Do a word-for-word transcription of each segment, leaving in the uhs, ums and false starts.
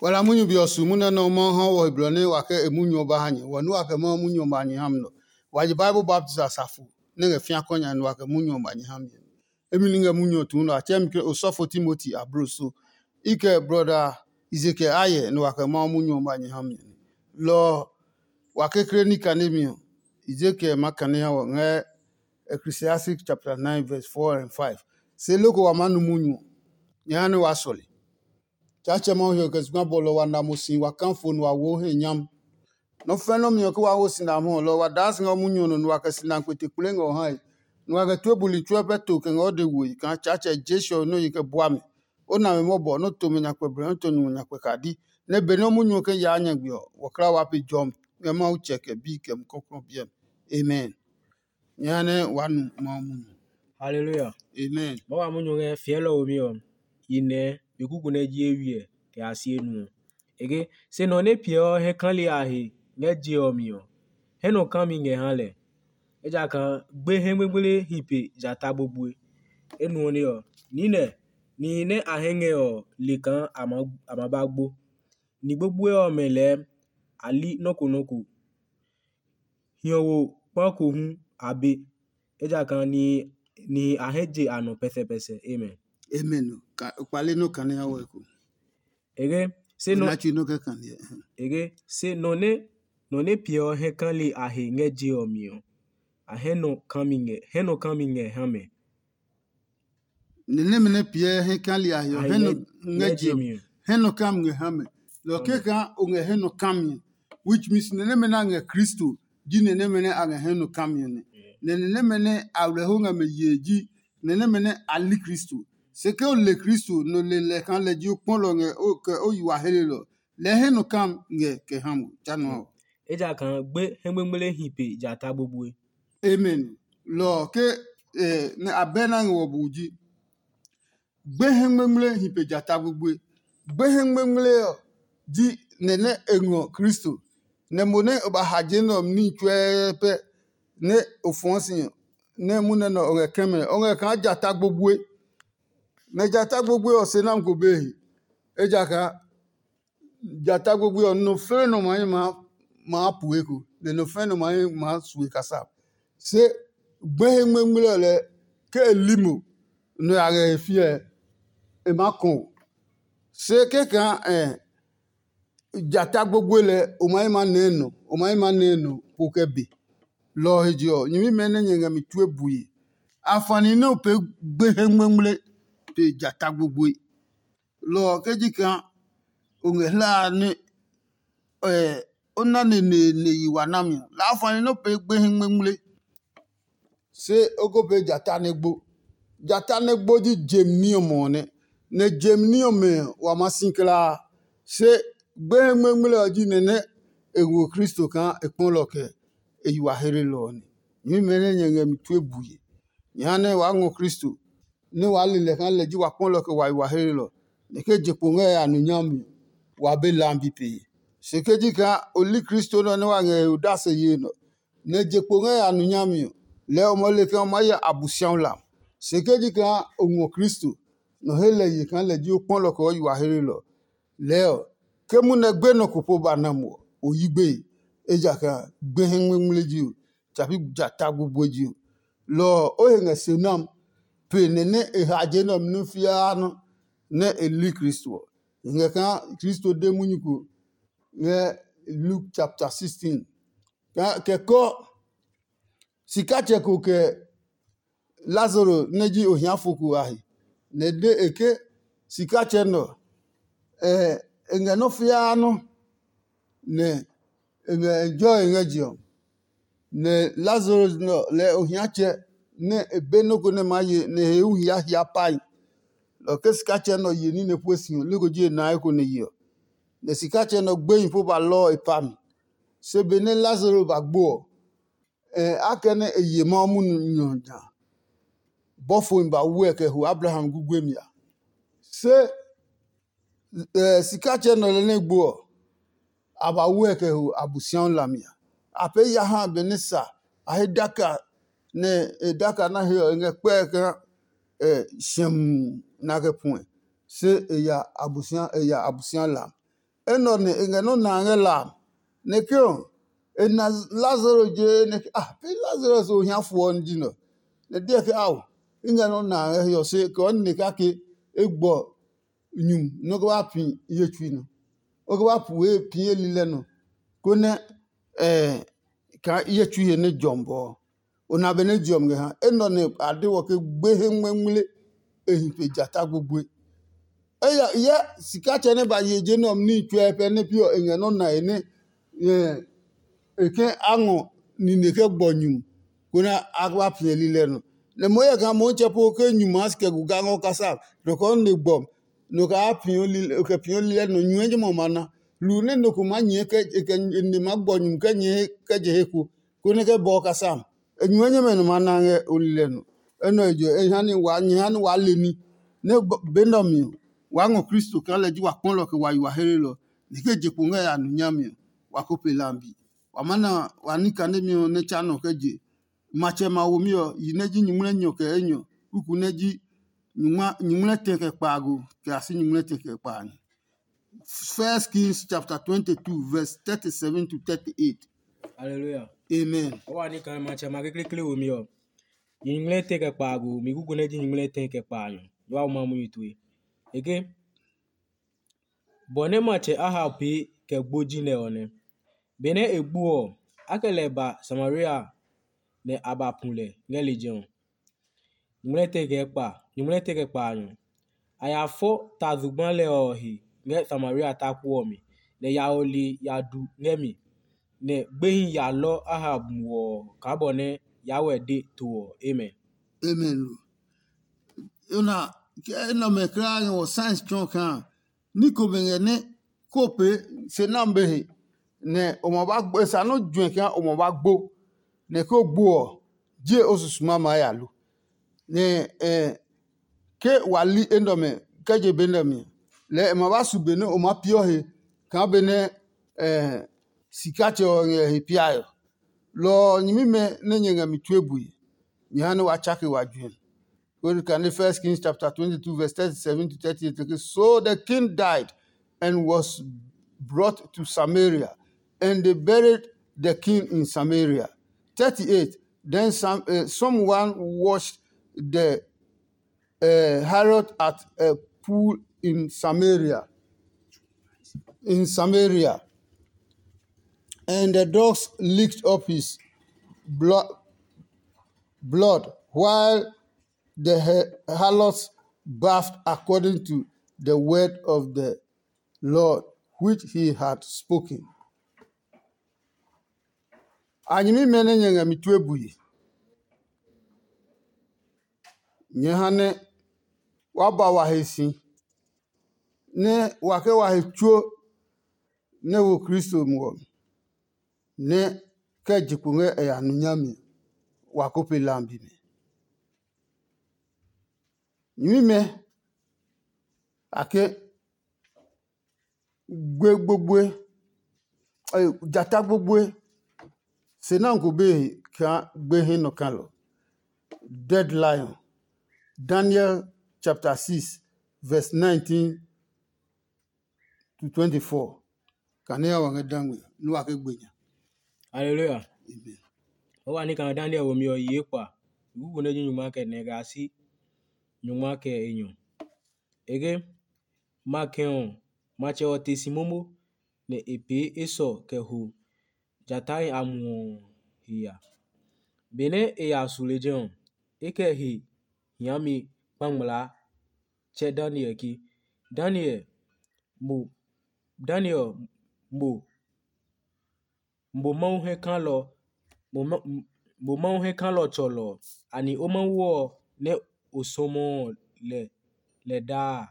Wala munyu be ɔ su munyu nɛ nɔuu Mawu ha wɔ he blɔ nɛ wa kɛ e munyu ɔ ba ha nyɛ. Wɔ nua kɛ Mawu munyu ɔ ba nyɛ ha mi nɔ. Wa je Bible baptist asafo nɛ ngɛ fĩa kɔ nya nua kɛ munyu ɔ ba nyɛ ha mi. Emi ni ngɛ munyu ɔ tuu nɔ, a tsɛɛ mi ke osɔfo Timoti abloso. I kɛ brɔda Ezekiel ayɛ nua kɛ Mawu munyu ɔ ba nyɛ ha mi. Lɔ ɔ, wa kekle ní kane mi ɔ, Ezekiel ma kane ha wɔ ngɛ Ecclesiastic chapter nine verse four and five. Se loko wa maa nu munyu ɔ, nyɛ ha nɛ waa sɔle. Tsaatsɛ Mawu hiɔ kɛ zugba bɔlɔ wa na mo si wa kã fo nua wo he nyam. Nɔ́ fɛ́ nɔ́ mi ɔ ke wa ho sina amɛ ɔ, lɔ ɔ wa daa si ngɛ o munyu ɔ nɔ nua kɛ sina kpete kplɛɛ ngɛ o hae. Nua kɛ tue buli tsuɛ pɛ to kɛ ngɛ o de woe kaa Tsaatsɛ Jesu ɔ nɔ́ yi kɛ bua mɛ. O na mɛ mɔbɔ, nɔ́ to mɛ nyakpɛ blɔ, nɔ́ to nyumu nyakpɛ kadi. Nɛ benɛ o munyu ɔ kɛ yaa nyagbe ɔ, wɔkla wa pe jɔmi ngɛ Mawu Tsɛ kɛ Bi kɛ Mumi Klɔuklɔu ɔ biɛ mi. Amen. Nyɛ ha nɛ waa nu Mawu munyu. Haleluya. Amen. Mawu a munyu ngɛ fiɛlɔ womi ɔ, i nɛɛ be kuku nɛ ji eywiɛ kɛ a si enu ɔ. E ke, se nɔ nɛ piɛ ɔ hɛ kali a he ngɛ je ɔ mi ɔ, hɛ nɔ kami ngɛ ha lɛ. Ejakaa gbe hɛ gbegble hi pe jata gbogboe. Enuɔ ne ɔ, niinɛ nihi nɛ a hɛ ngɛ ɔ le kaa a ma ba gbo. Ni gbogboe ɔmɛ lɛɛ a li nɔ́ ko nɔ́ ko. Hiɔwo kpa ko hu a be, ejakaa nihi a hɛ je a nɔ pɛsɛpɛsɛ. Amen. Amen. Kpale nɔ kane ha wɛ ko. Ege, se nɔ Natsu nɔ kɛ kane. Ege, se nɔ nɛ nɔ nɛ piɛ ɔ hɛ kali a he ngɛ je ɔ mi ɔ, a hɛ nɔ kami ngɛ hɛ nɔ kami ngɛ ha mɛ. Ni nɛmɛ nɛ piɛ hɛ kali a he ɔ, hɛ nɔ ngɛ je mi. Hɛ nɔ kam ngɛ ha mɛ. Lɔ kɛkaa o ngɛ hɛ nɔ kam mi, which means ni nɛmɛ nɛ a ngɛ Kristo ji ni nɛmɛ nɛ a ngɛ hɛ nɔ kam mi nɛ. Nɛ ni nɛmɛ nɛ awerɛho ngɛ mɛ yee ji ni nɛmɛ nɛ a li Kristo. Se ke o le Kristo, nɔ le lɛ kaa lɛ ji o kpɔlɔ ngɛ kɛ o yi wa helelɔ. Lɛ hɛ nɔ kam ngɛ kɛ ha mo tsa nɔ ɔ. Ejakaa gbe hɛ gbengble hi pe jata gbogboe. Amen. Lɔ ɔ ke nɛ abɛ na ngɛ wɔ bu ji. Gbe hɛ gbengble hi pe jata gbogboe. Gbe hɛ gbengble ɔ ji nɛ nɛ e ngɔ Kristo. Nɛ mo nɛ o ba ha je nɛ ɔ mi níhi tsuɛɛpɛ nɛ o fɔɔ si ɔ, nɛ munɛ nɛ o ngɛ kɛmɛ ɔ, o ngɛ kaa jata gbogboe. Nɛ jata gbogboe ɔ se nami ko be he. Ejakaa jata gbogboe ɔ, nɔ fɛ̃ nɔ maa maa pue eko, nɛ nɔ fɛ̃ nɔ maa maa sue kasa. Se gbehe ngmengmle ɔ lɛɛ ke e li mo, nɔ ya ngɛ he fiɛ, e maa kɔ̃ o. Se kɛkaa jata gbogboe lɛ o maa yi maa nɛɛ nɔ, o maa yi maa nɛɛ nɔ po kɛ be. Lɔ ɔ he je ɔ, nyɛmimɛ nɛ nyɛ ngɛ mi tue bue. Afani nɛ o pee gbehe ngmengmle pe jata gbogboe. Lɔ ɔ ke ji kaa o ngɛ hlae nɛ o na neneene yi wa nami ɔ, laa afani nɛ o pee gbehi ngmengmle. Se o ko pee jata nɛ gbo. Jata nɛ gbo ji jem ní ɔmɛ ɔ nɛ, nɛ jem ní ɔmɛ ɔ wa maa si kulaa. Se gbehi ngmengmle ɔ ji nɛ nɛ e ngɔ Kristo kaa e kpɔlɔ kɛ e yi wa heelelɔ ɔ nɛ. Nyɛmimɛ nɛ nyɛ ngɛ mi tue bue. Nyɛ ha nɛ waa ngɔ Kristo, nɛ waa le lɛ kaa lɛ ji wa kpɔlɔ kɛ wa yi wa heelelɔ, nɛ ke je kpo ngɛ ya nu nyami ɔ, wa be lambi pee. Se ke ji kaa o li Kristo nɛ ɔ nɛ wa ngɛ he odase yee nɛ ɔ, nɛ je kpo ngɛ ya nu nyami ɔ, lɛɛ o maa le kaa o maa ya Abosiami lam. Se ke ji kaa o ngɔ Kristo, nɔ he lɛ ye kaa lɛ ji o kpɔlɔ kɛ o yi wa heelelɔ, lɛɛ ɔ, ke munɛ gbenɔ ko po ba na mo ɔ, o yi gbeye, ejakaa gbehi ngmingmli ji o, tsapi jata gbogboe ji o. Lɔ ɔ, o he ngɛ se nam pe nɛ nɛ e ha je nɛ ɔ mi nɔ́ fiaa nɔ́ nɛ e li Kristo ɔ. E ngɛ kaa Kristo de munyu ko ngɛ Luke chapter sixteen. Kɛ kɔ sikatsɛ ko kɛ Lazaro nɛ ji ohiafo ko a he, nɛ e de e ke sikatsɛ nɛ ɔ, e ngɛ nɔ́ fiaa nɔ́, nɛ e ngɛ enjoy ngɛ je ɔ. Nɛ Lazaro nɛ ɔ, lɛ ohiatsɛ nɛ e be nɔ́ ko nɛ maa ye nɛ e he hu hia hia pae. Lɔ ke sikatsɛ nɛ ɔ ye ní nɛ pue si ɔ, leko ji e na eko nɛ ye ɔ. Nɛ sikatsɛ nɛ ɔ gbehi po ba lɔ ɔ e pa mi. Se benɛ Lazaro ba gbo ɔ, akɛnɛ e ye Mawu munyu ɔ ja, bɔfohi ba wu ɛ kɛ ho Abraham guguemi a. Se sikatsɛ nɛ ɔ lɛ nɛ gbo ɔ, a ba wu ɛ kɛ ho Abosiami hlami a. A pee ya ha benɛ sa a he daka nɛ e daka na he ɔ, e ngɛ kpɛɛ kaa siɛmu nɛ a kɛ puɛ, se e ya Abosiami e ya Abosiami hlami. enɛ ɔ ne e ngɛ nɔ́ na ngɛ la a. Nɛ ke ɔ, e na Lazaro je nɛ ke, ah, pi Lazaro so hia fo ɔ ji nɔ. Nɛ deɛ ke ao, i ngɛ nɔ́ na ngɛ hiɔ se kɛ ɔ ne kake e gbɔ nyum nɔ́ kɛ ba pi ye tsui nɔ. O kɛ ba pu ye pi ye lilɛ nɔ. Konɛ kaa ye tsui he nɛ jɔmi bɔ ɔ, o na be nɛ jɔmi ngɛ ha. Enɛ ɔ nɛ a de wɔ ke gbehe ngmɛngmle e hi pe jata gbogboe. Eya hyɛ sikatsɛ nɛ ba ye je nɛ ɔ ní tsɔɛ pɛ nɛ pi ɔ e ngɛ nɔ́ na e nɛ e ke a ngɔ nine kɛ gbɔ nyumu, konɛ a ba piɛ lilɛ nɔ. Nɛ mo hyɛ kaa Motsɛ po ke nyumu a si kɛ gu ga ngɔ kasa nɔ kɛ ɔ ne gbɔ nɔ kɛ a piɔ lilɛ nɔ nyuɛ jɛ mɔ ma na. Lu nɛ nɔ ko maa nyɛɛ kɛ e kɛ ne maa gbɔ nyumu kɛ nyɛɛ kɛ je he ko, konɛ kɛ bɔɔ kasa. E nyuɛ nyɛmɛ nɔ maa na ngɛ o lilɛ nɔ. Enɛ ɔ je e ha ni wa nyɛ ha ni waa le ní. Nɛ be nɛ ɔ mi ɔ, waa ngɔ Kristo kaa lɛ ji wa kpɔlɔ kɛ wa yi wa helelɔ. Ni ke je kpo ngɛ ya nu nyami ɔ, wa ko pe lambi. Wa maa na wa ní kanemi ɔ nɛ tsa nɔ kɛ je. Matsɛ ma womi ɔ, yi nɛ ji nyuŋmlɛ nyɔ kɛ enyɔ, kuku nɛ ji nyuŋmlɛ tɛ kɛ kpaago kɛ a si nyuŋmlɛ tɛ kɛ kpaanyɔ. First Kings chapter twenty-two, verse thirty-seven to thirty-eight. Hallelujah. Amen. Wa ni kan matsɛ ma kekle womi ɔ. Nyuŋmlɛ tɛ kɛ kpaago, mi kuku nɛ ji nyuŋmlɛ tɛ kɛ kpaanyɔ. Wa ma mu yi tue. Eke bɔ nɛ matsɛ Ahab pee kɛ gbo ji nɛ ɔ nɛ. Benɛ e gbo ɔ, a kɛ lɛ ba Samaria nɛ a ba pu lɛ ngɛ lejɛ ɔ. Nyuŋmlɛ tɛ kɛ kpa, nyuŋmlɛ tɛ kɛ kpaanyɔ. A ya fɔ ta zugba lɛ ɔ he ngɛ Samaria taku ɔ mi, nɛ ya ɔ li ya du ngɛ mi, nɛ gbehi ya lɔ Ahab muɔ ɔ kaa bɔ nɛ ya wɛ de to ɔ. Amen. Amen. Ona, ke enɛ ɔmɛ kulaa ngɛ wɔ science tsɔɔ kaa ní komɛ ngɛ nɛ ko pee se nami be he, nɛ o ma ba gbo, e sa nɔ́ juɛ kaa o ma ba gbo, nɛ ko gbo ɔ, je o susuma maa ya lo. Nɛ ke wa li enɛ ɔmɛ kɛ je be nɛ mi, lɛɛ e ma ba su be nɛ o maa piɔ he kaa benɛ sikatsɛ ɔ ngɛ he piae ɔ. Lɔ ɔ, nyɛmimɛ nɛ nyɛ ngɛ mi tue bue, nyɛ ha nɛ wa tsake wa juɛ. When you can read First Kings chapter twenty-two, verse thirty-seven to thirty-eight, okay? So the king died and was brought to Samaria, and they buried the king in Samaria. Thirty-eight, then some, uh, someone washed the uh, Herod at a pool in Samaria. In Samaria, and the dogs licked up his blood, blood while the harlots bathed according to the word of the Lord, which he had spoken. A nyɛmimɛ nɛ nyɛ ngɛ mi tue bue, nyɛ ha nɛ wa ba wa he si, nɛ wa kɛ wa he tsuo nɛ wo Kristo muɔ mi, nɛ kɛ je kpo ngɛ e ya nu nyami ɔ, wa ko pe lambi mi. Nyɛmimɛ, a ke gbe gbogboe, jata gbogboe, se nɛ ko be he kaa gbe he nɔ kalɔ. Dead lion. Daniel chapter six, verse nineteen to twenty-four. Kane ya wa ngɛ dangbe nɛ wa ke gbe nya. Hallelujah. Amen. O wa ni kan Daniel wo mi ɔ yi ekpa. Gugu nɛ ji nyuma kɛ nɛ ga si nyuma kɛ enyɔ. Ege ma kɛ ɔ, matsɛ ɔ te si momo, nɛ e pee esɔ kɛ ho jatahi a muɔ ɔ he ya. Benɛ e ya su lejɛ ɔ, e kɛ he hiami kpangmlaa tsɛ Daniel ke, Daniel, mo Daniel, mo mo Mawu hɛ kalɔ mo Mawu hɛ kalɔ tsɔlɔ ɔ, ani o Mawu ɔ nɛ o sɔmɔɔ lɛ lɛ daa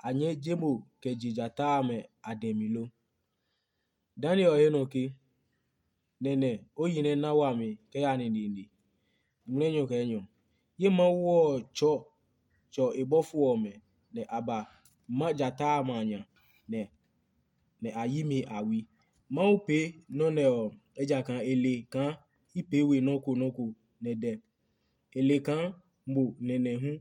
a, a nyɛ je mo kɛ je jata amɛ a dɛ mi lo? Daniel he nɔ ke, nɛnɛ o yi nɛ na wami kɛ ya nine nine, ngmlɛnyɔ kɛ enyɔ. Ye Mawu ɔ tsɔ tsɔ e bɔfo ɔmɛ, nɛ a ba ma jata amɛ a nya, nɛ nɛ a yi mi a wi. Mawu pee nɔ́ nɛ ɔ, ejakaa e le kaa i pee we nɔ́ ko nɔ́ ko nɛ dɛ. E le kaa mo nɛnɛ hu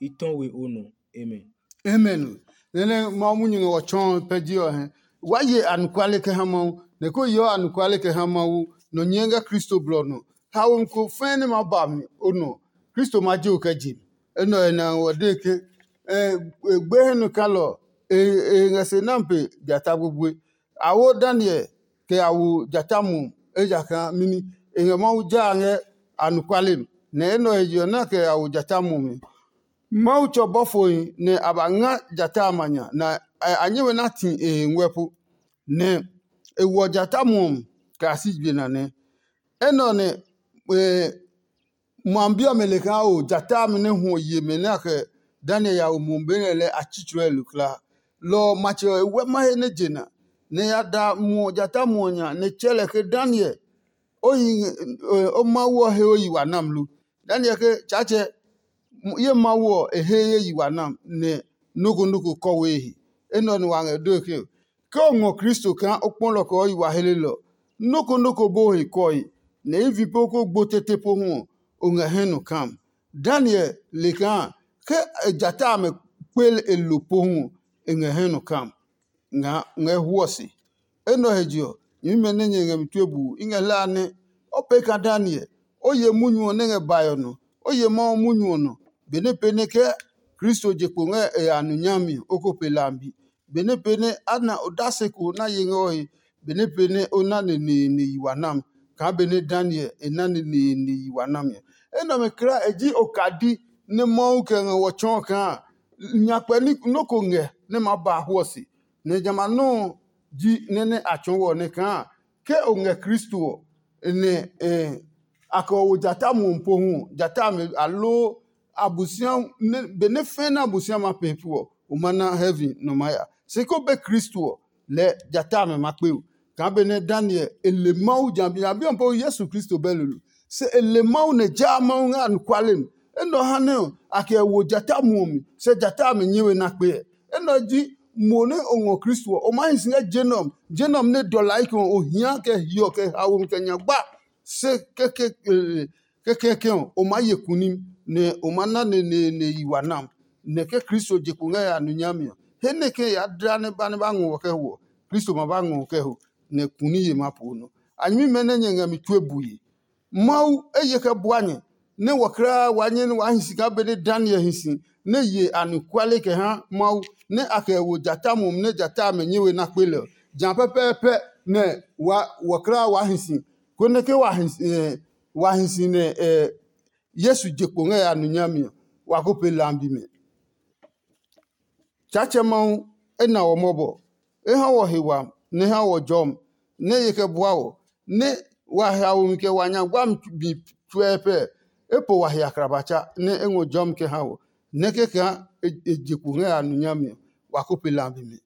i tɔ we o nɔ. Amen. Amen. Nene Mawu munyu ngɛ wɔ tsɔɔ pɛ ji ɔ hɛ. Waa ye anɔkuale kɛ ha Mawu, nɛ ko yeɔ anɔkuale kɛ ha Mawu nɔ nyɛɛ ngɛ Kristo blɔ nɔ. Haomi ko fɛɛ nɛ maa ba mi o nɔ, Kristo ma je o kɛ je mi. Enɛ ɔ he nɛ a ngɔ de ke gbe hɛ nɔ kalɔ e ngɛ se nami pe jata gbogboe. A wo Daniel kɛ ya wo jata muɔ, ejakaa mɛni? E ngɛ Mawu jaa ngɛ anɔkuale mi, nɛ enɛ ɔ he je ɔ nɛ a kɛ ya wo jata muɔ mi. Mawu tsɔ bɔfohi nɛ a ba nga jata a ma nya, nɛ a nyɛ we na ti e he nguɛ po, nɛ e wɔ jata muɔ mi kɛ a si je nane. Enɛ ɔ nɛ ma bi ɔmɛ le kaa o jata amɛ nɛ hwɔ ye mɛ nɛ a kɛ Daniel ya wo muɔ be nɛ lɛ a tsitsɔɛ lo kulaa. Lɔ ɔ matsɛ ɔ e wɛ ma he nɛ je na, nɛ ya da muɔ jata muɔ nya nɛ tsɛ lɛ ke Daniel, o yi o Mawu ɔ he o yi wa nam lo? Daniel ke, Tsaatsɛ, ye Mawu ɔ e he ye yi wa nam nɛ nɔ́ ko nɔ́ ko kɔ we he. Enɛ ɔ nɛ wa ngɛ dee ke, ke o ngɔ Kristo kaa o kpɔ lɔ kɛ o yi wa helelɔ, nɔ́ ko nɔ́ ko bo he kɔe, nɛ i vi po ko gbo tete pohu ɔ, o ngɛ hɛ nɔ kam. Daniel le kaa ke e jata amɛ kpel e lo pohu ɔ, e ngɛ hɛ nɔ kam. Nga ngɛ huɔ se. Enɛ ɔ he je ɔ, nyɛmimɛ nɛ nyɛ ngɛ mi tue buu, i ngɛ hlaa nɛ o pee kaa Daniel, o ye munyu ɔ nɛ ngɛ bae ɔ nɔ, o ye Mawu munyu ɔ nɔ, benɛ pee nɛ ke Kristo je kpo ngɛ e ya nu nyami ɔ, o ko pe lambi. Benɛ pee nɛ a na odase ko na ye ngɛ o he, benɛ pee nɛ o na neneene yi wa nam, kaa benɛ Daniel e na neneene yi wa nami ɔ. Enɛ ɔmɛ kulaa e ji okadi nɛ Mawu kɛ ngɛ wɔ tsɔɔ kaa nyakpɛ nɔ́ ko ngɛ nɛ maa ba a hwɔ se. Nɛ jamɛ a nɔuu ji nɛ nɛ a tsɔɔ wɔ nɛ kaa ke o ngɛ Kristo ɔ, nɛ a kɛ o wo jata muɔ pohu ɔ, jata amɛ aloo Abosiami, benɛ fɛ̃ nɛ Abosiami ma pee pu ɔ, o ma na heaven nɔ maa ya. Se ko be Kristo ɔ, lɛɛ jata amɛ ma kpe o. Kaa benɛ Daniel e le Mawu jabi a bi ɔ po Yesu Kristo bɛ lolo. Se e le Mawu nɛ jaa Mawu ngɛ anɔkuale mi. Enɛ ɔ ha nɛ ɔ, a kɛ wo jata muɔ mi, se jata amɛ nyɛ we na kpe ɛ. Enɛ ɔ ji mo nɛ o ngɔ Kristo ɔ, o maa hi si ngɛ je nɛ ɔ, je nɛ ɔ nɛ dɔlai kɛ o hia kɛ hiɔ kɛ haomi kɛ nyagba. Se kɛkɛ kɛkɛkɛ ɔ, o maa ye kunim, nɛ o ma na neneene yi wa nam, nɛ ke Kristo je kpo ngɛ ya nu nyami ɔ, he nɛ ke ya dla nɛ ba nɛ ba ngɔ wɔ kɛ hwɔ, Kristo ma ba ngɔ wɔ kɛ ho, nɛ kuni ye ma poo nɔ. A nyɛmimɛ nɛ nyɛ ngɛ mi tue bue. Mawu eye kɛ bua nyɛ, nɛ wɔ kulaa waa nyɛ nɛ waa hi si kaa benɛ Daniel hi si, nɛ ye anɔkuale kɛ ha Mawu, nɛ a kɛ wo jata mumi nɛ jata amɛ nyɛ we na kpe lɛ ɔ. Jã pɛpɛɛpɛ nɛ wa wɔ kulaa waa hi si, konɛ ke wa hi si, wa hi si nɛ Yesu je kpo ngɛ ya nu nyami ɔ, wa ko pe lambi mɛ. Tsaatsɛ Mawu e na wɔ mɔbɔ, e ha wɔ he wami, nɛ e ha wɔ jɔmi, nɛ e ye kɛ bua wɔ, nɛ wa haomi kɛ wa nya guami bi tsuɛ pɛ. E po wa he akrabatsa, nɛ e ngɔ jɔmi kɛ ha wɔ, nɛ kɛkaa e je kpo ngɛ ya nu nyami ɔ, wa ko pe lambi mɛ.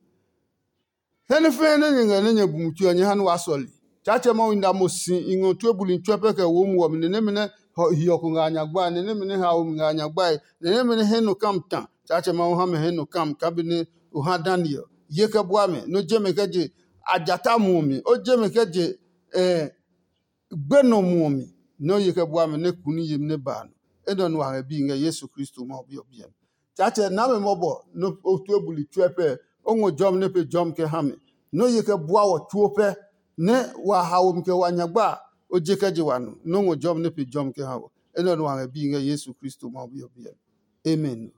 He nɛ fɛɛ nɛ nyɛ ngɛ nɛ nyɛ bu mutui ɔ, nyɛ ha nɛ waa sɔle. Tsaatsɛ Mawu, i na mo si i ngɔ tue buli tsuɛ pɛ kɛ wo muɔ mi, nɛ nɛmɛ nɛ hiɔ ko ngɛ a nya gbae, nɛ nɛmɛ nɛ haomi ngɛ a nya gbae, nɛ nɛmɛ nɛ hɛ nɔ kam ta. Tsaatsɛ Mawu, ha mɛ hɛ nɔ kam kaa benɛ o ha Daniel ye kɛ bua mɛ, nɔ je mɛ kɛ je a jata muɔ mi, o je mɛ kɛ je gbenɔ muɔ mi, nɛ o ye kɛ bua mɛ nɛ kuni yemi nɛ ba a nɔ. Enɛ ɔ nɛ wa ngɛ bi ngɛ Yesu Kristo Mawu Bi ɔ biɛ mi. Tsaatsɛ, na mɛ mɔbɔ nɛ o tue buli tsuɛ pɛ, o ngɔ jɔmi nɛ pe jɔmi kɛ ha mɛ, nɛ o ye kɛ bua wɔ tsuo pɛ, nɛ wa haomi kɛ wa nyagba a, o je kɛ je wa nɔ, nɛ o ngɔ jɔmi nɛ pe jɔmi kɛ ha wɔ. Enɛ ɔ nɛ wa ngɛ bi ngɛ Yesu Kristo Mawu Bi ɔ biɛ mi. Amen.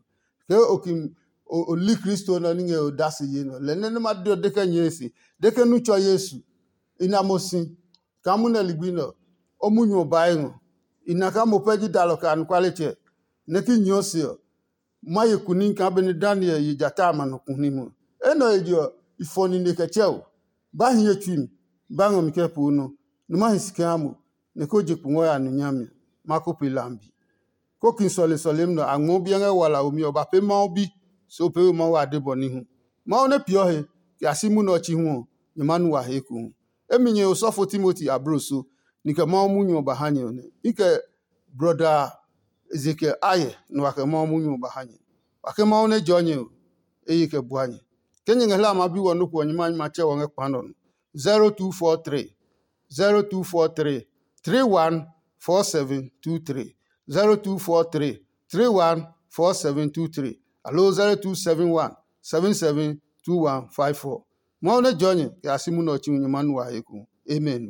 Ke o ki o li Kristo nɛ ɔ ní ngɛ odase ye nɔ, lɛ nɛ nɛ ma de ɔ de kɛ nyɛɛ se, de ke nu tsɔ Yesu, i na mo si, kaa munɛ ligbi nɛ ɔ, o munyu ɔ bae ngɔ. I na kaa mo pɛ ji dalɔ kɛ anɔkualetsɛ, nɛ ki nyɛɛ o se ɔ, ma ye kunim kaa benɛ Daniel ye jata a ma nɔ kunim ɔ. Enɛ ɔ he je ɔ, i fɔ nine kɛ tsɛ o. Ba hi ye tsui mi, ba ngɔ mi kɛ poo nɔ, nɛ ma hi si kɛ ha mo, nɛ ko je kungwɔ ya nu nyami ɔ, ma ko pe lambi. Kóki sɔlesɔlemi nɛ a ngɔɔ biɛ ngɛ walaomi ɔ ba pee Mawu Bi, se o pee we Mawu ade bɔ ní hu. Mawu nɛ peeɔ he, kɛ ya si munɛ ɔ tsi hu ɔ, nyɛ maa nu wa he ekohu. Emi nyɛ osɔfo Timoti abloso, ni kɛ Mawu munyu ɔ ba ha nyɛ ɔ nɛ. I kɛ brɔda Ezekiel ayɛ nɛ wa kɛ Mawu munyu ɔ ba ha nyɛ. Wa ke Mawu nɛ jɔɔ nyɛ ɔ, e ye kɛ bua nyɛ. Ke nyɛ ngɛ hlaa ma bi wɔ nɔ́ ko ɔ, nyɛ ma nyɛ ma tsɛ wɔ ngɛ kpa nɛ ɔ nɔ. zero two four three, zero two four three, three one four seven two three, zero two four three, three one four seven two three, aloo zero two seven one, seven seven two one five four. Mawu nɛ jɔɔ nyɛ kɛ ya si munɛ ɔ tsi hu nyɛ ma nu wa he ku. Amen.